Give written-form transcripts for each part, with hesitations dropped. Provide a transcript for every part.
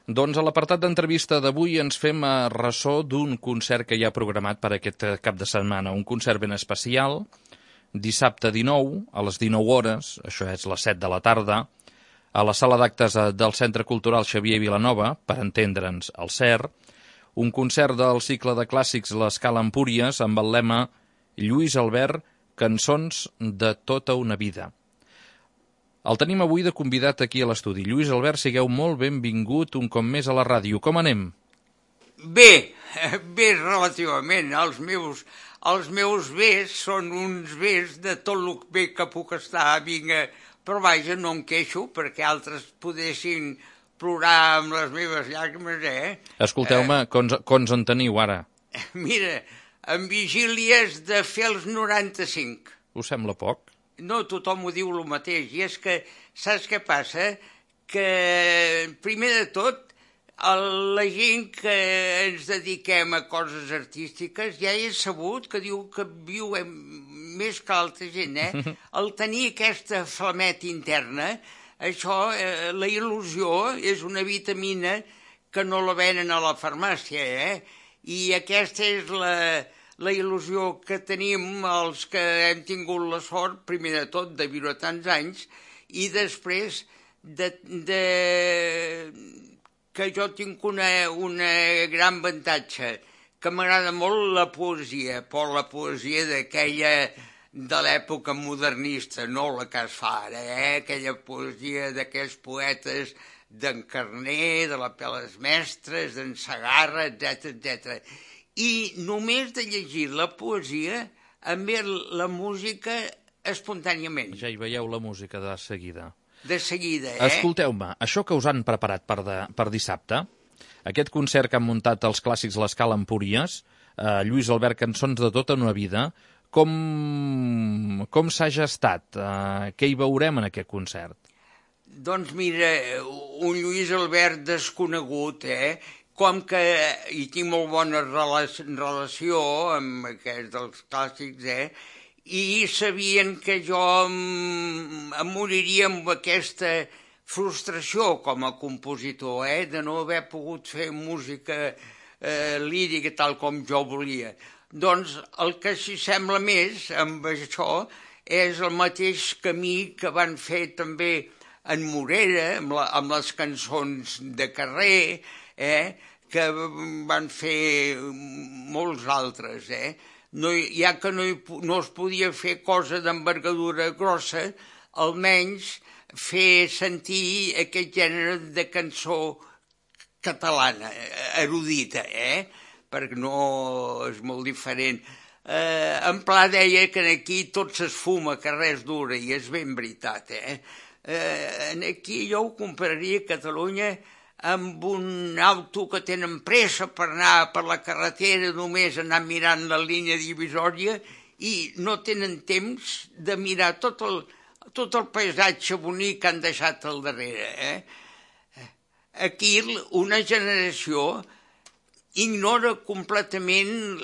Doncs a l'apartat d'entrevista d'avui ens fem ressò d'un concert que hi ha programat per aquest cap de setmana. Un concert ben especial, dissabte 19, a les 19 hores, això és les 7 de la tarda, a la sala d'actes del Centre Cultural Xavier Vilanova, per entendre'ns, al CER, un concert del cicle de clàssics L'Escala Empúries amb el lema Lluís Albert, cançons de tota una vida. El tenim avui de convidat aquí a l'estudi. Lluís Albert, sigueu molt benvingut un cop més a la ràdio. Com anem? Bé relativament. Els meus bés són uns bés de tot el bé que puc estar. Vinga, però vaja, no em queixo perquè altres podessin plorar amb les meves llàgrimes, Escolteu-me, cons en teniu ara? Mira, en vigílies de fer els 95. Us sembla poc? No, tothom ho diu el mateix, i és que, saps què passa? Que, primer de tot, la gent que ens dediquem a coses artístiques ja he sabut que diu que viuen més que altra gent, El tenir aquesta flameta interna, això, la il·lusió és una vitamina que no la venen a la farmàcia, I aquesta és la il·lusió que tenim els que hem tingut la sort, primer de tot, de viure tants anys, i després que jo tinc una gran avantatge, que m'agrada molt la poesia, però la poesia d'aquella de l'època modernista, no la que es fa ara, aquella poesia d'aquells poetes d'en Carner, de la Peles Mestres, d'en Segarra, etc. I només de llegir la poesia em ve la música espontàniament. Ja hi veieu la música de seguida. De seguida, Escolteu-me, això que us han preparat per dissabte, aquest concert que han muntat els clàssics L'Escala Empúries, Lluís Albert, cançons de tota una vida, com s'ha gestat? Què hi veurem en aquest concert? Doncs mira, un Lluís Albert desconegut, com que hi tinc molt bona relació amb aquests dels clàssics, i sabien que jo em moriria amb aquesta frustració com a compositor, de no haver pogut fer música lírica tal com jo volia. Doncs el que s'hi sembla més amb això és el mateix camí que van fer també en Morera, amb les cançons de carrer, que van fer molts altres, Ja que no es podia fer cosa d'envergadura grossa, almenys fer sentir aquest gènere de cançó catalana, erudita, perquè no és molt diferent. En Pla deia que aquí tot s'esfuma, que res dura, i és ben veritat, Aquí jo ho compararia a Catalunya amb un auto que tenen pressa per anar per la carretera, només anar mirant la línia divisòria i no tenen temps de mirar tot el paisatge bonic que han deixat al darrere. Aquí una generació ignora completament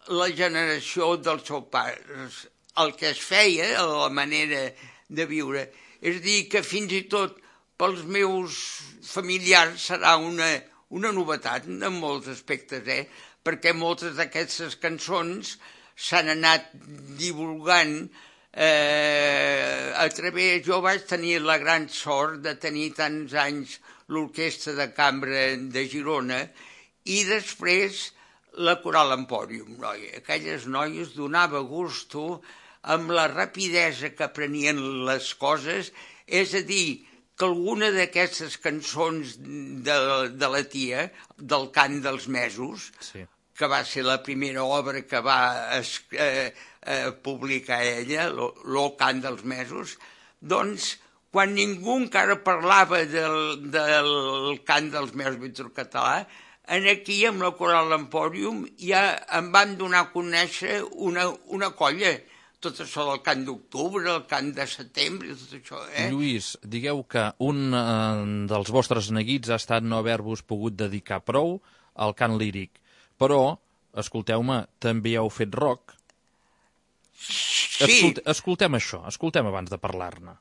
la generació dels seus pares, el que es feia, la manera de viure. És a dir, que fins i tot pels meus familiars serà una novetat en molts aspectes, perquè moltes d'aquestes cançons s'han anat divulgant a través... Jo vaig tenir la gran sort de tenir tants anys l'Orquestra de Cambra de Girona i després la Coral Empòrium, aquelles noies donava gusto amb la rapidesa que aprenien les coses, és a dir, que alguna d'aquestes cançons de la tia, del Cant dels Mesos, que va ser la primera obra que va publicar ella, el Cant dels Mesos, doncs, quan ningú encara parlava del Cant dels Mesos Víctor Català, aquí, amb la Coral Empòrium, ja em van donar a conèixer una colla, tot això del cant d'octubre, el cant de setembre, tot això, Lluís, digueu que un dels vostres neguits ha estat no haver-vos pogut dedicar prou al cant líric, però, escolteu-me, també heu fet rock. Sí. Escoltem això, escoltem abans de parlar-ne.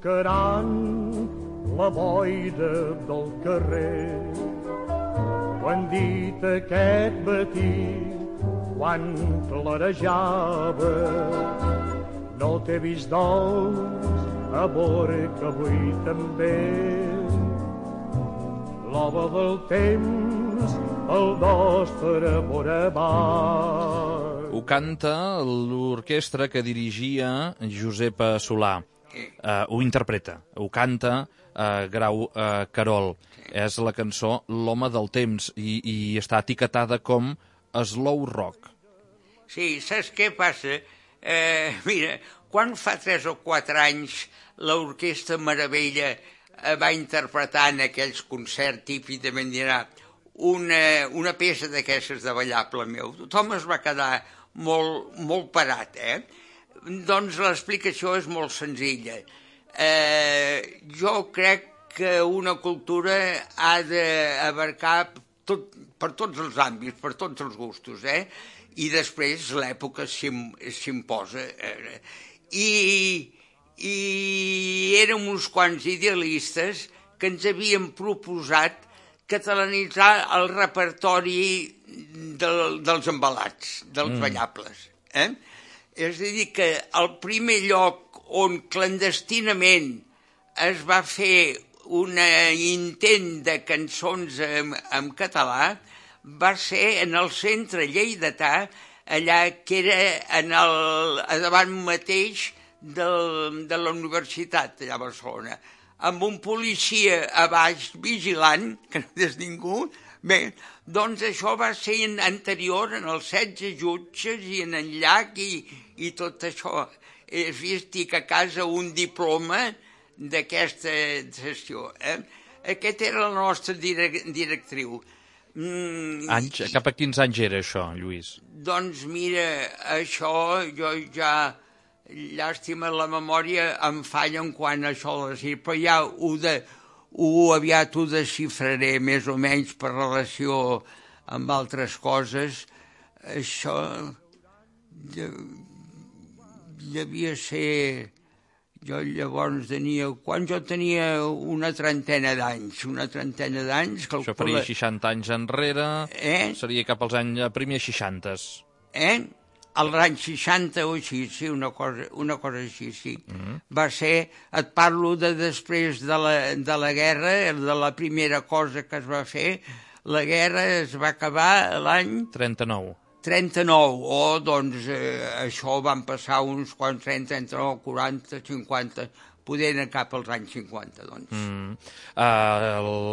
tocaran la boira del carrer. Ho han dit aquest matí quan clarejava. No t'he vist dolç, amor, que avui també l'home del temps, el nostre amor amat. Ho canta l'orquestra que dirigia Josepa Solà. Ho interpreta, ho canta Grau Carol. És la cançó L'home del temps i està etiquetada com slow rock. Sí, saps què passa? Mira, quan fa 3 o 4 anys l'Orquestra Meravella va interpretar en aquells concerts típics de Mendirà una peça d'aquestes de ballable meu, tothom es va quedar molt parat, Doncs l'explicació és molt senzilla. Jo crec que una cultura ha d'abarcar per tots els àmbits, per tots els gustos, i després l'època s'imposa. I érem uns quants idealistes que ens havíem proposat catalanitzar el repertori dels embalats, dels ballables. És a dir, que el primer lloc on clandestinament es va fer un intent de cançons en català va ser en el centre lleidatà, allà que era davant mateix de la universitat, allà a Barcelona, amb un policia a baix vigilant, que no és ningú. Bé, doncs això va ser anterior en els 16 jutges i en el llac i tot això. He vist que a casa un diploma d'aquesta sessió. Aquest era la nostra directriu. Cap a quins anys era això, Lluís? Doncs mira, això jo ja... Llàstima, la memòria em falla en quant a això, però ja aviat ho desxifraré més o menys per relació amb altres coses. Això devia ser... Jo llavors tenia... Quan jo tenia una trentena d'anys. Això faria 60 anys enrere, seria cap als anys primers 60s. Als anys 60 o així, sí, una cosa així, sí. Va ser, et parlo de després de la guerra, de la primera cosa que es va fer, la guerra es va acabar l'any... 39. Doncs això van passar uns quants anys, 39, 40, 50, poder anar cap als anys 50, doncs.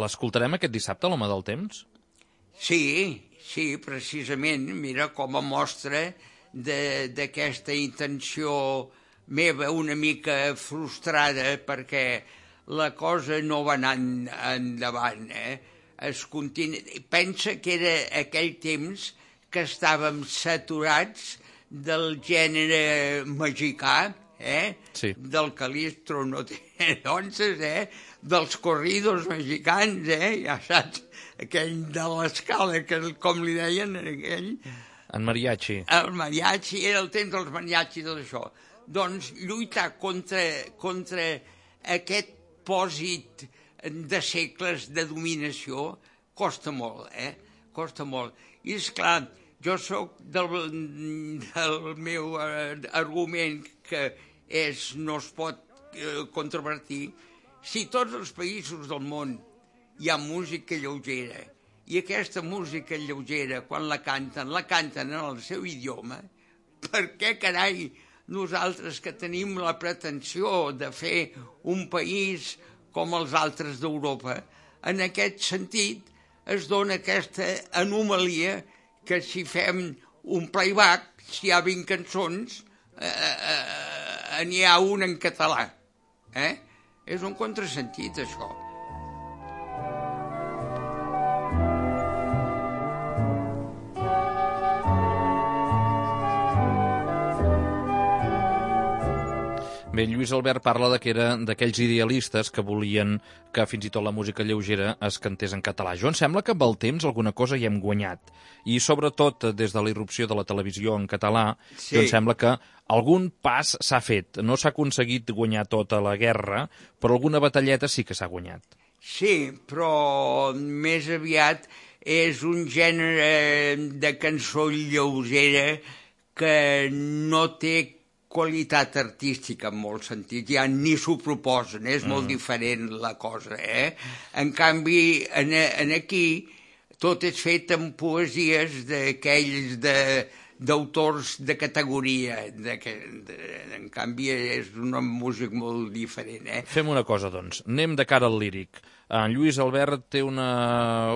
L'escoltarem aquest dissabte, l'Home del Temps? Sí, precisament, mira, com a mostra d'aquesta intenció meva una mica frustrada perquè la cosa no va anar endavant. Pensa que era aquell temps que estàvem saturats del gènere mexicà, del calistro, doncs, dels corridos mexicans, ja saps, aquell de l'escala, com li deien, aquell... En mariachi. El mariachi, era el temps dels mariachi i tot això. Doncs lluitar contra aquest pòsit de segles de dominació costa molt, costa molt. I esclar, jo sóc del meu argument que no es pot controvertir. Si tots els països del món hi ha música lleugera, i aquesta música lleugera, quan la canten en el seu idioma, per què, carai, nosaltres que tenim la pretensió de fer un país com els altres d'Europa, en aquest sentit es dona aquesta anomalia que si fem un playback, si hi ha 20 cançons, n'hi ha una en català. És un contrasentit, això. Bé, Lluís Albert parla que era d'aquells idealistes que volien que fins i tot la música lleugera es cantés en català. Jo em sembla que amb el temps alguna cosa hi hem guanyat. I sobretot des de la irrupció de la televisió en català, jo em sembla que algun pas s'ha fet. No s'ha aconseguit guanyar tota la guerra, però alguna batalleta sí que s'ha guanyat. Sí, però més aviat és un gènere de cançó lleugera que no té qualitat artística en molt sentit, ja ni s'ho proposen, és molt diferent la cosa, En canvi, aquí tot és fet amb poesies d'aquells d'autors de categoria, en canvi és una música molt diferent, Fem una cosa, doncs, anem de cara al líric. En Lluís Albert té una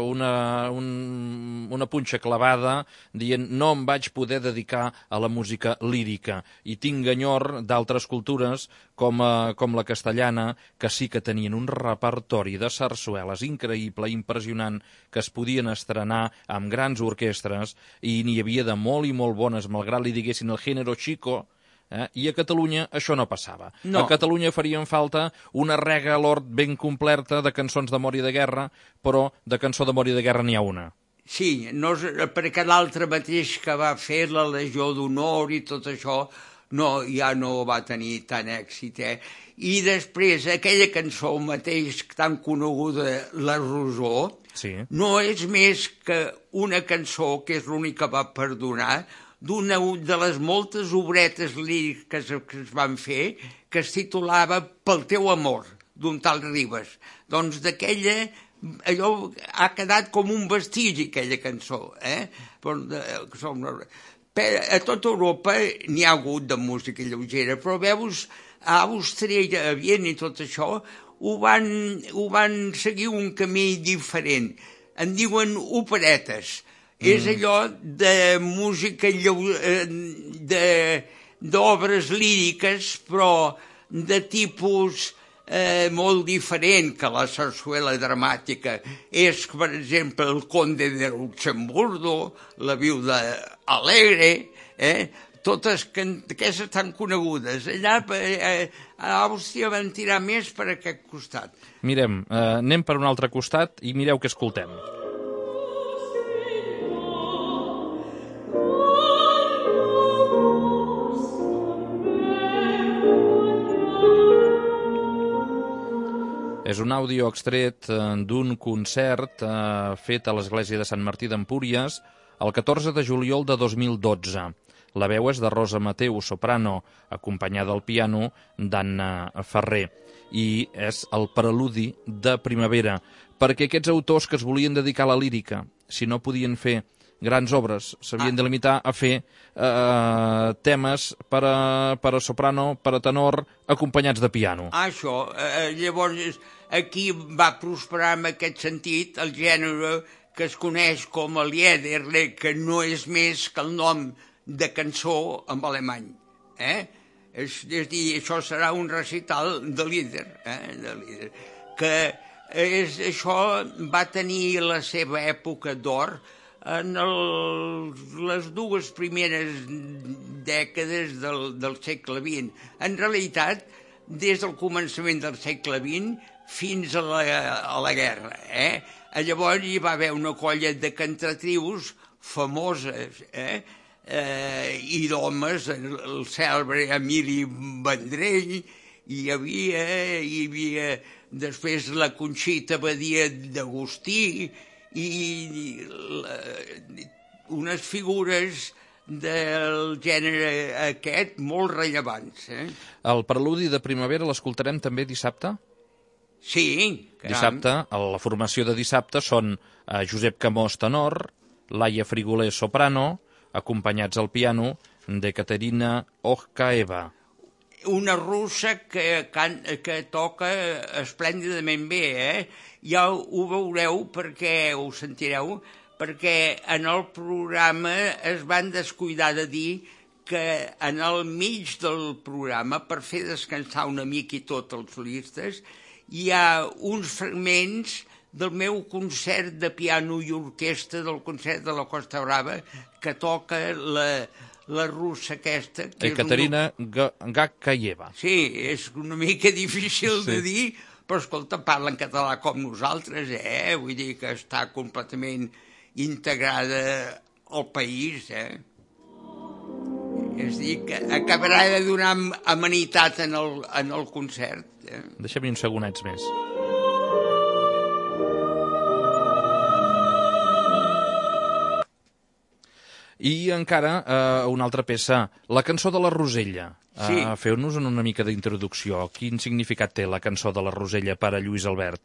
punxa clavada dient no em vaig poder dedicar a la música lírica i tinc enyor d'altres cultures com la castellana que sí que tenien un repertori de sarsueles increïble, impressionant, que es podien estrenar amb grans orquestres i n'hi havia de molt i molt bones, malgrat li diguessin el género chico. I a Catalunya això no passava. No. A Catalunya farien falta una rega a l'hort ben completa de cançons d'amor i de guerra, però de cançó d'amor i de guerra n'hi ha una. Sí, no, perquè l'altre mateix que va fer la Legió d'Honor i tot això ja no va tenir tant èxit. I després aquella cançó mateix tan coneguda, La Rosó, no és més que una cançó, que és l'única que va perdonar, d'una de les moltes obretes líriques que es van fer, que es titulava Pel teu amor, d'un tal Ribes. Doncs d'aquella, allò ha quedat com un vestigi, aquella cançó. A tota Europa n'hi ha hagut de música lleugera, però veus, a Àustria, a Viena i tot això, ho van seguir un camí diferent. En diuen operetes. És allò de música, d'obres líriques, però de tipus molt diferent que la sarsuela dramàtica. És, per exemple, el Conde de Luxemburgo, la Viuda Alegre, totes aquestes tan conegudes. Allà a Àustria van tirar més per aquest costat. Mirem, anem per un altre costat i mireu què escoltem. És un àudio extret d'un concert fet a l'església de Sant Martí d'Empúries el 14 de juliol de 2012. La veu és de Rosa Mateu, soprano, acompanyada al piano d'Anna Ferrer. I és el preludi de primavera, perquè aquests autors que es volien dedicar a la lírica, si no podien fer grans obres, s'havien de limitar a fer temes per a soprano, per a tenor, acompanyats de piano. Això, llavors aquí va prosperar en aquest sentit el gènere que es coneix com a Lieder, que no és més que el nom de cançó en alemany. És a dir, això serà un recital de Lieder, que això va tenir la seva època d'or en les dues primeres dècades del segle XX. En realitat, des del començament del segle XX fins a la guerra. Llavors hi va haver una colla de cantatrius famoses i d'homes, el cèlebre Emili Vendrell, hi havia després la Conxita Badia d'Agustí i unes figures del gènere aquest molt rellevants. El preludi de primavera l'escoltarem també dissabte? Sí. Dissabte, la formació de dissabte són Josep Camós, tenor, Laia Frigoler, soprano, acompanyats al piano de Caterina Okhaeva. Una russa que toca esplèndidament bé, Ja ho veureu perquè ho sentireu, perquè en el programa es van descuidar de dir que en el mig del programa, per fer descansar una mica i tot els solistes, hi ha uns fragments del meu concert de piano i orquestra del concert de la Costa Brava que toca la russa aquesta... Ekaterina Gakayeva. Sí, és una mica difícil de dir, però escolta, parla en català com nosaltres, vull dir que està completament integrada al país, És a dir, que acabarà de donar amenitat en el concert. Deixem-hi uns segonets més. I encara una altra peça, la cançó de la Rosella. Sí. Feu-nos una mica d'introducció. Quin significat té la cançó de la Rosella per a Lluís Albert?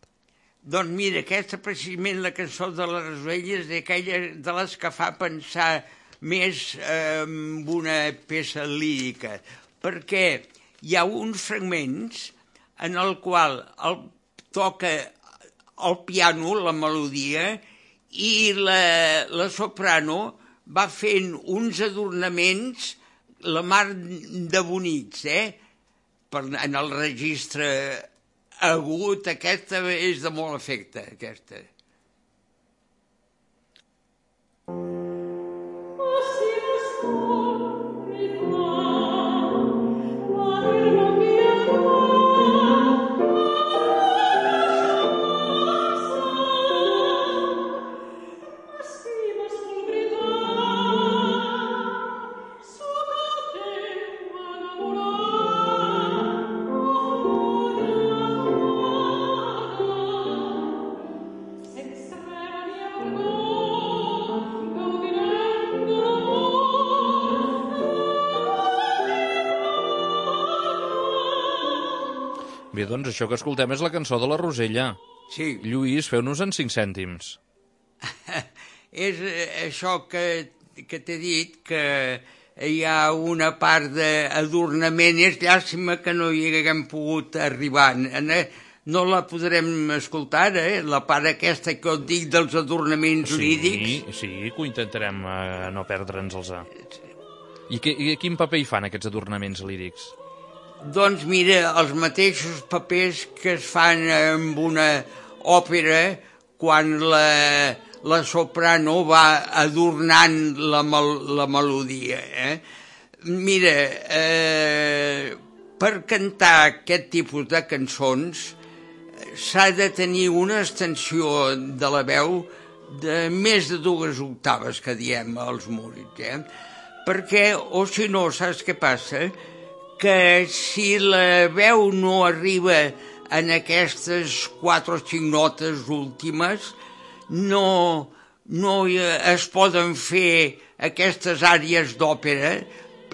Doncs mira, aquesta precisament la cançó de la Rosella és d'aquella de les que fa pensar més en una peça lírica, perquè hi ha uns fragments en el qual toca el piano, la melodia, i la soprano va fent uns adornaments la mar de bonics, en el registre agut, aquesta és de molt efecte, aquesta. Bé, doncs això que escoltem és la cançó de la Rosella. Sí. Lluís, feu-nos en 5 cèntims. És això que t'he dit, que hi ha una part d'adornament. És llàstima que no hi haguem pogut arribar. No la podrem escoltar, la part aquesta que et dic dels adornaments lírics. Sí, que ho intentarem no perdre'ns-els. I quin paper hi fan aquests adornaments lírics? Doncs mira, els mateixos papers que es fan en una òpera quan la soprano va adornant la melodia. Mira, per cantar aquest tipus de cançons s'ha de tenir una extensió de la veu de més de 2 octaves, que diem els músics, perquè, o si no, saps què passa? Que si la veu no arriba en aquestes 4 o 5 notes últimes, no es poden fer aquestes àrees d'òpera.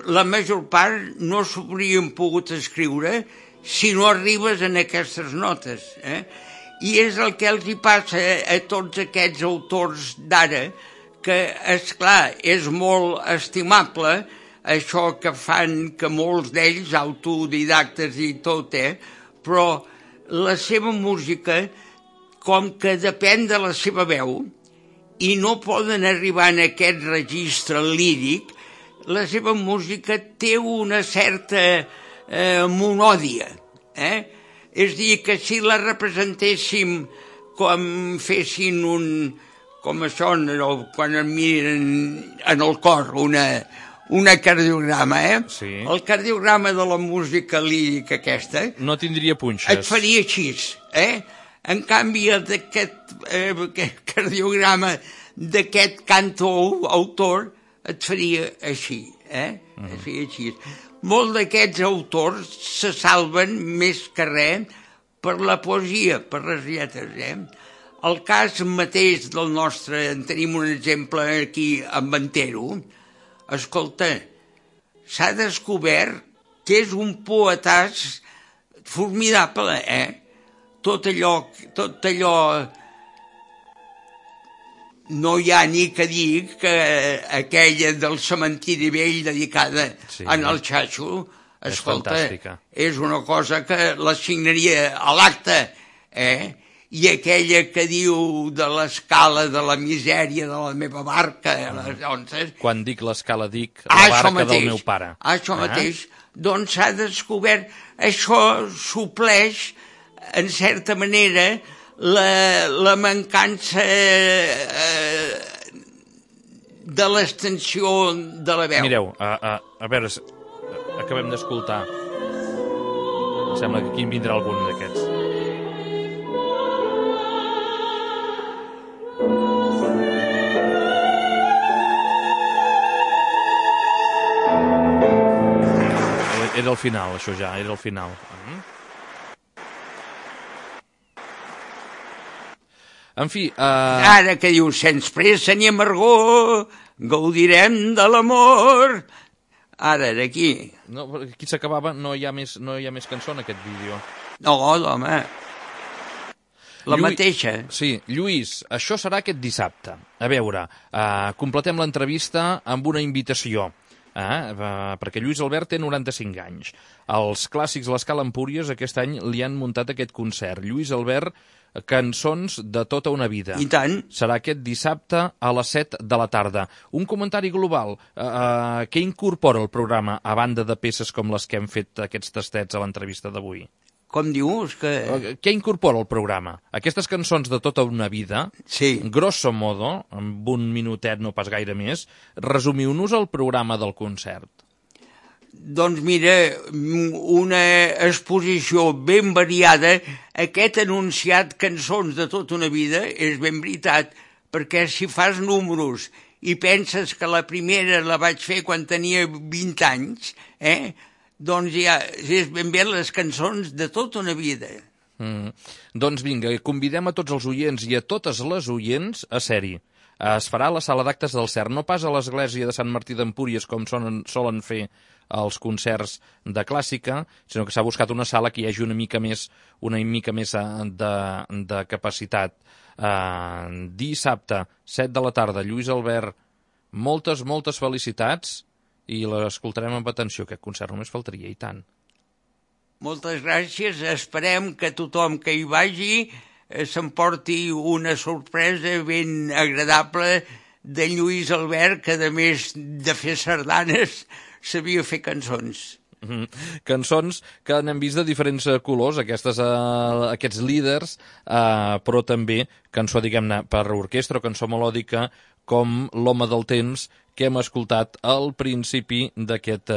La major part no s'haurien pogut escriure si no arribes en aquestes notes. I és el que els hi passa a tots aquests autors d'ara, que, esclar, és molt estimable això que fan, que molts d'ells, autodidactes i tot, però la seva música, com que depèn de la seva veu, i no poden arribar en aquest registre líric, la seva música té una certa monòdia. És a dir, que si la representéssim com fessin com això, quan em miren en el cor, una cardiograma, Sí. El cardiograma de la música lírica aquesta... No tindria punxes. Et faria així, En canvi, aquest cardiograma d'aquest autor et faria així, Et faria així. Molts d'aquests autors se salven més que res per la poesia, per les lletres, El cas mateix del nostre... En tenim un exemple aquí, amb Antero. Escolta, s'ha descobert que és un poetàs formidable, Tot allò... No hi ha ni que dir que aquella del cementiri vell dedicada en el Xaxo, escolta, és una cosa que la signaria a l'acte, I aquella que diu de l'escala de la misèria de la meva barca, Quan dic l'escala dic la barca del meu pare. Això mateix. Doncs s'ha descobert, això supleix, en certa manera, la mancança de l'extensió de la veu. Mireu, a veure, acabem d'escoltar. Em sembla que aquí en vindrà algun d'aquests. Era el final, això ja, era el final. En fi... Ara que dius, sens pressa ni amargor, gaudirem de l'amor. Ara, d'aquí. No, aquí s'acabava, no hi ha més cançó en aquest vídeo. No, home. La mateixa. Sí, Lluís, això serà aquest dissabte. A veure, completem l'entrevista amb una invitació. Perquè Lluís Albert té 95 anys. Els clàssics l'Escala Empúries aquest any li han muntat aquest concert. Lluís Albert, cançons de tota una vida. I tant. Serà aquest dissabte a les 7 de la tarda. Un comentari global. Què incorpora el programa a banda de peces com les que hem fet aquests tastets a l'entrevista d'avui? Com dius? Què incorpora el programa? Aquestes cançons de tota una vida, sí. Grosso modo, amb un minutet, no pas gaire més, resumiu-nos el programa del concert. Doncs mira, una exposició ben variada. Aquest anunciat cançons de tota una vida és ben veritat, perquè si fas números i penses que la primera la vaig fer quan tenia 20 anys, doncs ja és ben bé les cançons de tota una vida. Doncs vinga, convidem a tots els oients i a totes les oients a ser-hi. Es farà a la sala d'actes del CERN, no pas a l'església de Sant Martí d'Empúries, com solen fer els concerts de clàssica, sinó que s'ha buscat una sala que hi hagi una mica més de capacitat. Dissabte, 7 de la tarda, Lluís Albert, moltes felicitats, i l'escoltarem amb atenció, aquest concert només faltaria, i tant. Moltes gràcies, esperem que tothom que hi vagi s'emporti una sorpresa ben agradable de Lluís Albert, que a més de fer sardanes sabia fer cançons. Cançons que n'hem vist de diferents colors, aquests líders, però també cançó, diguem-ne, per orquestra o cançó melòdica, com L'home del temps, que hem escoltat al principi d'aquest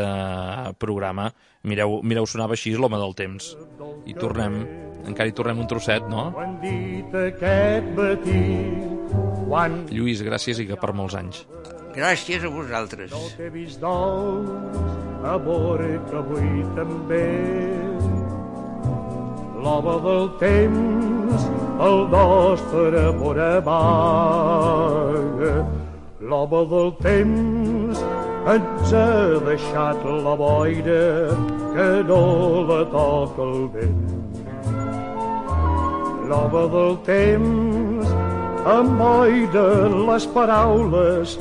programa. Mireu, sonava així, L'home del temps. I encara hi tornem un trosset, no? Lluís, gràcies i que per molts anys. Gràcies a vosaltres. No t'he vist dolç, amor, que avui també. L'home del temps, el nostre amor amaga. L'home del temps ens ha deixat la boira que no la toca el vent. L'home del temps emboira les paraules,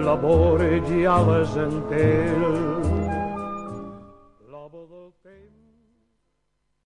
l'amor ja les entén.